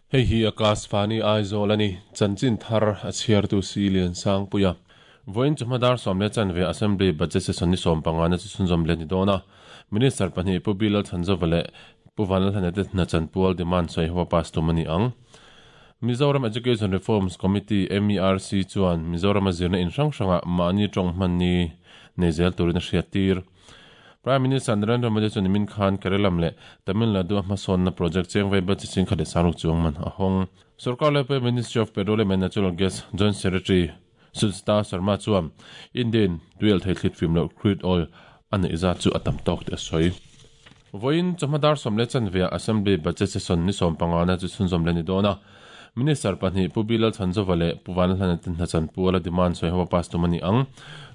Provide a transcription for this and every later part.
Hei hi Akashvani Aizawl a ni, chanchin thar a chhiartu si Liansangpuia. Vawiin chawhma dar 10:15 Assembly Budget Session ni 15 na chu chhunzawm leh ni dawn a. Minister pahnih Pu Bilal Chhanzova leh Pu Vanlalhlana te hna chanpual demand sawi ho a pass tum a ni ang. Mizoram Education Reforms Committee, MERC, chuan Mizorama zirna in hrang hrangah mahni tawng hman ni nei zel turin a hriattir. Prime Minister Narendra Modi chuan nimin khan Keralam leh Tamil Nadu a hmasawnna project cheng vaibel chi ching khat leh sangruk chuang man a hawng. Sorkar Laipuia Ministry of Petroleum and Natural Gas Joint Secretary Sujata Sharma chuan India-in tuialh thei thlit fim loh crude oil a neih zat chu a tam tawk tih a sawi. Vawiin chawhma dar 10:15 ah Assembly Budget Session ni 15 na chu chhunzawm leh a ni dawn a. Minister pahnih Pu Bilal Chhanzova leh Pu Vanlalhlana te hna chanpual a demand sawi ho a pass tum a ni ang.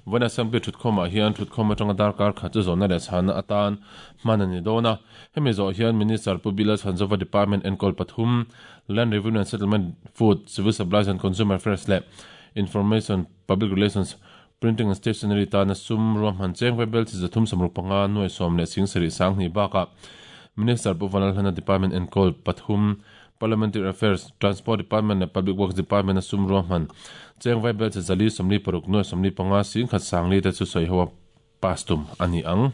Vawiin Assembly thutkhawmah hian thutkhawm atanga darkar khat chu zawhna leh chhanna atan hman a ni dawn a. Hemi zawh hian Minister Pu Bilal Chhanzova Department enkawl pathum, Land Revenue and Settlement, Food, Civil Supplies and Consumer Affairs leh Information, Public Relations, Printing and Stationery tana sum ruahman cheng vaibel chi 365 nuai sawm leh sing sarih sanghnih bakah Minister Pu Vanlalhlana Department enkawl pathum, Parliamentary Affairs, Transport Department leh Public Works Department a sum ruahman cheng vaibel chi 446 nuai 45 singkhat sangli te chu sawi ho a pass tum a ni ang.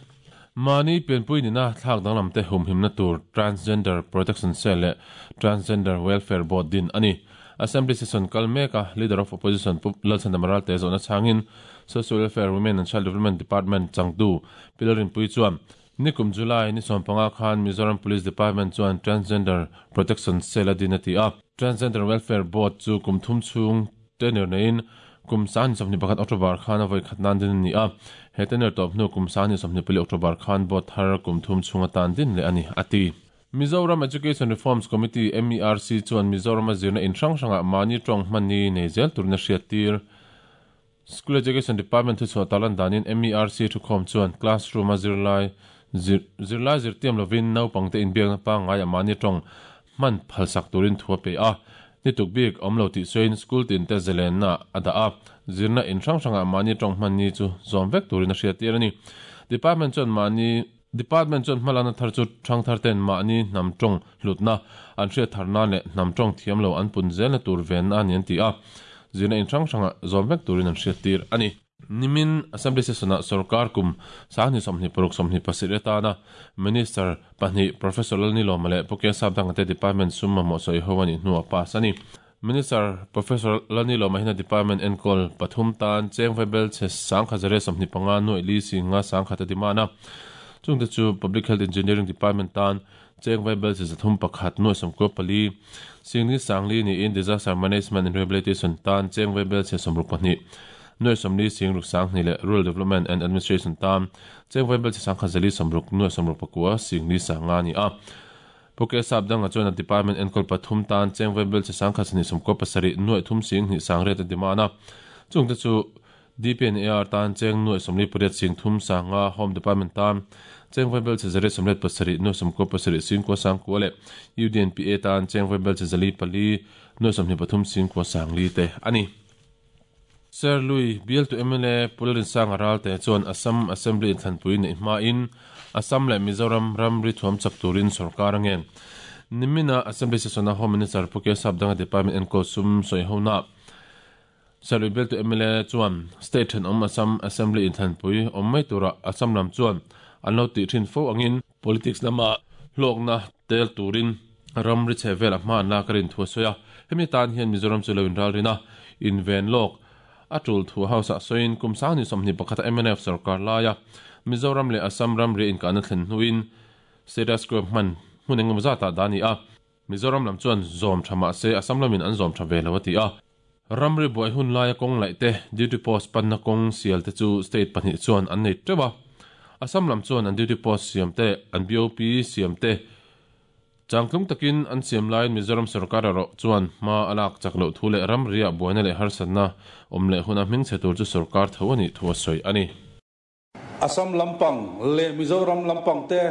Mahni pianpui nina thlak danglam te humhimna tur Transgender Protection Cell leh Transgender Welfare Board din a ni. Assembly session kal mek a Leader of Opposition Pu Lalchhandama Ralte zawhna chhangin Social Welfare, Women and Child Development Department changtu Pi Lalrinpuii chuan nikum July ni 15 khan Mizoram Police Department chuan Transgender Protection Cell a din a ti a. Transgender Welfare Board chu kum thum chhung tenure neiin kum 2021 October khan a vawi khat nan din a ni a. He tenure tawp hnu kum 2024 October khan Board thar kum thum chhung atan din leh a ni, a ti. Mizoram Education Reforms Committee, MERC, chuan Mizorama zirna in hrang hrangah mahni tawng hman ni nei zel turin a hriattir. School Education Department thuchhuah tarlan danin MERC thukhawm chuan classroom-a zirlai zirlai zirtiam lovin naupangte inbiakna pangngaiah mahni tawng hman phalsak turin thu a pe a. Ni tuk bik awm lo tih sawiin school tinte zalenna a dah a, zirna in hrang hrangah mahni tawng hman ni chu zawm vek turin a hriattir a ni. Department chuan mahni Department chuan hmalakna thar chu thangthar ten mahni hnam tawng hlutna an hriat thar nan leh hnam tawng thiam lo an pun zelna tur venna a ni an ti a, zirna in hrang hrangah zawm vek turin an hriattir a ni. Nimin Assembly Session-ah sorkar kum 2026 27 atana Minister pahnih Professor Lalnilawma leh Pu Kesap Dangate Department sum mamawh sawi ho a nih hnuah pass a ni. Minister Professor Lalnilawma hian a department enkawl pathum tan cheng vaibel chhe 1125 nuaih li singa 1000 a demand a. Chungte chu Public Health Engineering Department tan cheng vaibel chhe 301 nuaih 94 singli sangli niin Disaster Management and Rehabilitation tan cheng vaibel chhe 62 nuaih 40 singruk sanghnih leh Rural Development and Administration tan cheng vaibel chhe 1160 nuaih 69 singli sanga a ni a. Pu Kesap danga chuan a department enkawl pathum tan cheng vaibel chi 1297 nuaih thum sing hnih sang riat a demand a. Chungte chu DPNAR tan cheng nuaih 48 sing thum sanga, Home Department tan cheng vaibel chi 187 nuaih 97 sing kua sang kua leh UDNPA tan cheng vaibel chi 404 nuaih 23 sing kua sang li te a ni. Sir Lui, bialtu mla Pu Lalrinsanga Ralte chuan Assam Assembly inthlanpui neih hmain Assam leh Mizoram ramri thuam chak turin sorkar a ngen. Nimina Assembly Session-a Home Minister Pu Kesap Danga Department enkawl sum sawi hona Sir Lui bialtu mla chuan State thenawm Assam Assembly inthlanpui awm mai turah Assam lam chuan an lo tih thin fo angin Politics lama hlawkna tel turin ramri chhe velah hma an lak a rin thu a sawi a. Hemi tan hian Mizoram chu lo inralrin a, inven lawk a tul thu House ah sawiin kum 2021 a mnf sorkar laia Mizoram leh Assam ramri a inkahna thlen hnuin status quo hman hmun engemaw zatah dah a ni a. Mizoram lam chuan zawm tha mah se Assam lamin an zawm tha ve lo a ti a. Ramri buai hun laia kawng laih te, duty post panna kawng sial te chu state pahnih chuan an nei teuh a. Assam lam chuan an duty post siam te, an BOP siam te changtlung takin an siam laiin Mizoram sorkar erawh chuan hma a lak chak loh thu leh ramriah buaina leh harsatna awm leh huna hmingchhe tur chu sorkar tho a nih thu a sawi a ni. Assam lampang leh Mizoram lampang te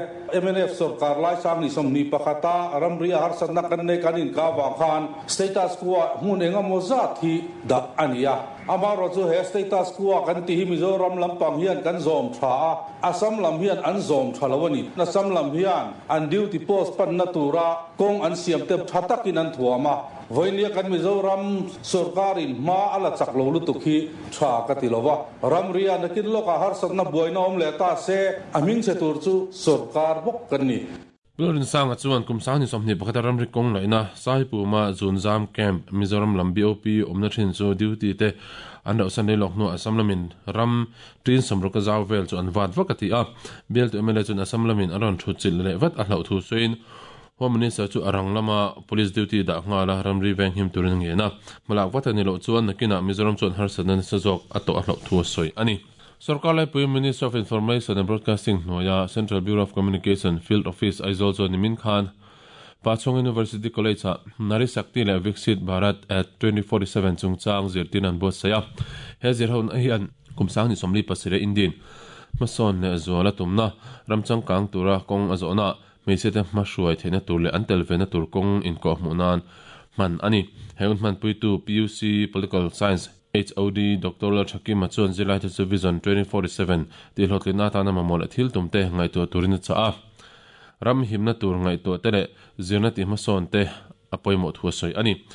mnf sorkar lai 2021 a ramri a harsatna kan nei kan inkah vang khan status quo ah hmun engemaw zat hi dah a ni a. Amaherawhchu he status quo kan tih hi Mizoram lampang hian kan zawm tha a, Assam lam hian an zawm tha lo a ni. Assam lam hian an duty post panna tura kawng an siam te tha takin an thuam a, vawinia kan Mizoram sorkarin hma a la chak lo lutuk hi tha ka ti lo va. Ramria nakin lawkah harsatna buaina awm leh ta se, a hmingchhe tur chu sorkar bawk kan ni. Lalrinsanga chuan kum 2021 a ramri kawng laihna Saipuma Zunzam Camp, Mizoram lam BOP awmna thin chu duty te an rauhsan rei lawk hnuah Assam lamin ram tin sawmruk a zau vel chu an vat vak a ti a. Bialtu mla chuan Assam lamin an rawn thut chilh leh vat a hlauh thu sawiin Home Minister chu a rang lama Police duty dah nghal a ramri venghim turin a ngen a. Hmalak vat a ni loh chuan nakinah Mizoram chuan harsatna nasa zawk a tawh a hlauh thu a sawi a ni. Sorkar laipui Ministry of Information and Broadcasting hnuaia Central Bureau of Communication Field Office Aizawl chuan nimin khan Pachhung University College-ah Nari Shakti leh Viksit Bharat at 2047 chungchang zirtirna an buatsaih a. He zirhona hian kum 2027 Indian hmasawn leh zuala tumna ram changkang tura kawng a zawhna hmeichhiate hmahruai theihna tur leh an tel vena tur kawng inkawhhmuh nan hman a ni. He hun hmanpuitu PUC Political Science HOD Doctor Lalthakima chuan zirlaite chu Vision 2047 tihhlawhtlinna atana mamawh leh thil tumte ngaihtuah turin a chah a. Ram himna tur ngaihtuah te leh zirna tihhmasawn te a pawimawh thu a sawi a ni.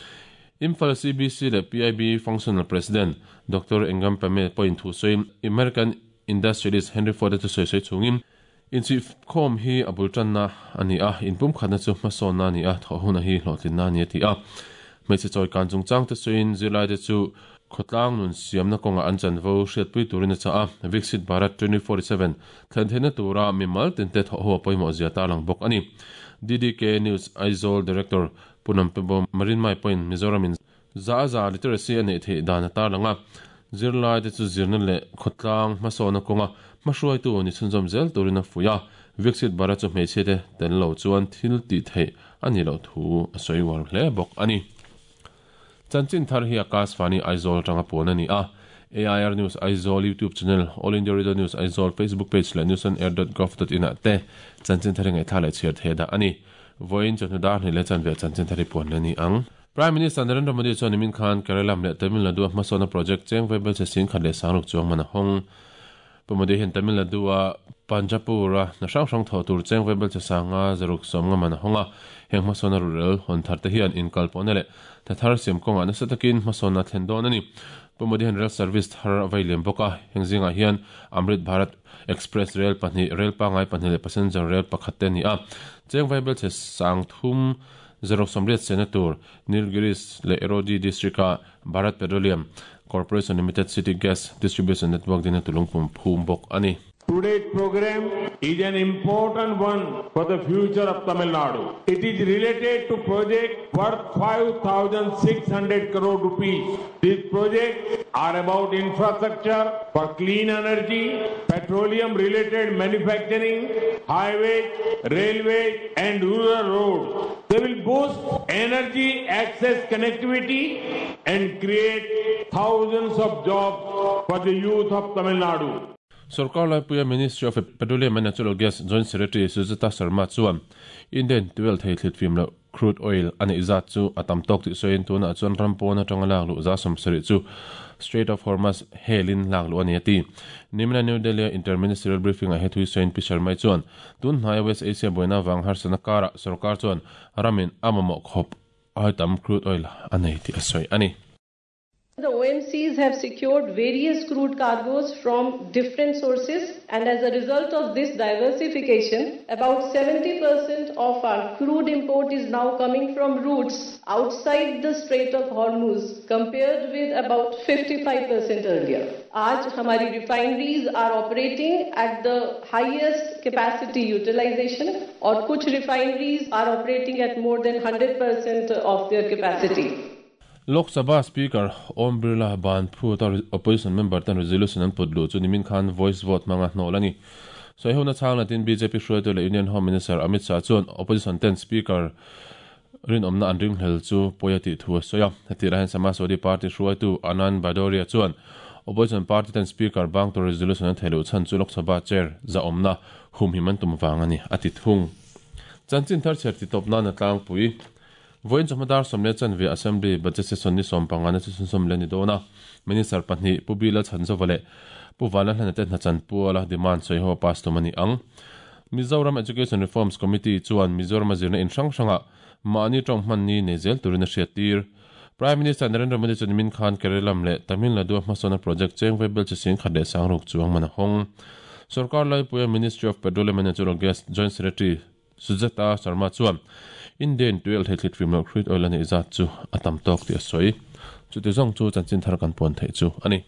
Imphal CBC leh PIB Functional President Doctor Engam Pame pawhin thu sawiin American Industrialist Henry Ford-a chu sawi sawi chungin Inchihkhawm hi a bul tanna a ni a, inpumkhatna chu hmasawnna a ni a, thawh huna hi hlawhtlinna a ni a ti a. Hmeichhe chawikan chungchangte sawiin zirlaite chu khawtlang nun siamna kawngah an chanvo hriatpui turin a chah a, Viksit Bharat 2047 thlen theihna tura mimal tinte thawh ho a pawimawh zia tarlang bawk a ni. DDK News Aizawl Director Pu Nampebo Marinmai pawhin Mizoramin Za za literacy a neih theih dan a tarlang a, zirlaite chu zirna leh khawtlang hmasawnna kawnga hmahruaitu ni chhunzawm zel turin a fuih a, Viksit Bharat chu hmeichhiate tel lo chuan thil tih theih a nih loh thu a sawi uar hle bawk a ni. Chanchin thar hi Akashvani Aizawl atanga puan a ni a, AIR News Aizawl YouTube channel, All India Radio News Aizawl Facebook page leh newsonair.gov.in ah te chanchin thar hi ngaihthlak leh chhiar theih dah a ni. Vawiin chawhnu dar hnih leh chanve chanchin thar hi puan la ni ang. Prime Minister Narendra Modi chuan nimin khan Kerala leh Tamil Nadu-a hmasawnna project cheng vaibelchhe sing khat leh sangruk chuang man a hawng. Pu Modi hian Tamil Nadu-a Panjapur-a hna hrang hrang thawh tur cheng vaibelchhe sanga zaruk sawmnga man a hawng a. Heng hmasawnna ruhrel hawn thar te hian inkalpawhna leh tha thar siam kawngah nasa takin hmasawnna a thlen dawn a ni. Pu Modi hian rail service thar a vei liam bawk a, heng zingah hian Amrit Bharat Express rel pahnih, rel pangngai pahnih leh passenger rel pakhat te a ni a. Cheng vaibelchhe sang thum Zaruk sawmriat sena tur Nilgiris leh Erode District-a Bharat Petroleum Corporation Limited City Gas Distribution Network dina tulungpum phum bawk a ni. Today's program is an important one for the future of Tamil Nadu. It is related to project worth 5,600 crore rupees. These projects are about infrastructure for clean energy, petroleum related manufacturing, highways, railways and rural roads. They will boost energy access connectivity and create thousands of jobs for the youth of Tamil Nadu. Sorkar laipuia Ministry of Petroleum and Natural Gas Joint Secretary Sujata Sharma chuan Indian tuel thei thlit fim loh crude oil a neih zat chu a tam tawk tih sawiin tunah chuan ram pawn atanga lak luh za 70 chu Strait of Hormuz helin lak luh a ni a ti. Nimina New Delhi-a Inter-Ministerial Briefing-ah he thui sawiin Pi Sharma-i chuan tun hnaia West Asia buaina avang harsatna karah sorkar chuan ramin a mamawh khawp ai tam crude oil a nei tih a sawi a ni. The OMCs have secured various crude cargoes from different sources and as a result of this diversification, about 70% of our crude import is now coming from routes outside the Strait of Hormuz compared with about 55% earlier. Aaj hamari refineries are operating at the highest capacity utilization aur kuch refineries are operating at more than 100% of their capacity. Lok Sabha Speaker Om Birla ban phuta Opposition member ten resolution an put luh chu nimin khan voice vote hmanga hnawlh a ni. Sawihona chhang latin bjp hruaitu leh Union Home Minister Amit Shah chuan Opposition ten Speaker rinawmna an ringhlel chu pawi a tih thu a sawi a. Hetih hian Samajwadi Party hruaitu Anand Bhadoria chuan Opposition party ten Speaker bang tur resolution an theiluh chhan chu Lok Sabha chair zahawmna humhim an tum vang a ni a ti thung. Chanchin thar chher titawp nan a tlangpui. Vawiin chawhma dar 10:15 Assembly Budget Session ni 15 na chu chhunzawm leh a ni dawn a, Minister pahnih Pu Bila Chhanzova leh Pu Vanlalhlana te hna chanpuala demand sawi ho pass tum a ni ang. Mizoram Education Reforms Committee chuan Mizorama zirna in hrang hrangah mahni tawng hman ni nei zel turin a hriattir. Prime Minister Narendra Modi chuan nimin khan Kerala leh Tamil Nadu-a hmasawnna project cheng vaibel chi 10,060 chuang man a hawng. Sorkar laipuia Ministry of Petroleum and Natural Gas Joint Secretary Sujata Sharma chuan India-in tuialh thei thlit fim loh crude oil a neih zat chu a tam tawk tih a sawi. Chuti zawng chu chanchin thar kan puan theih chu a ni.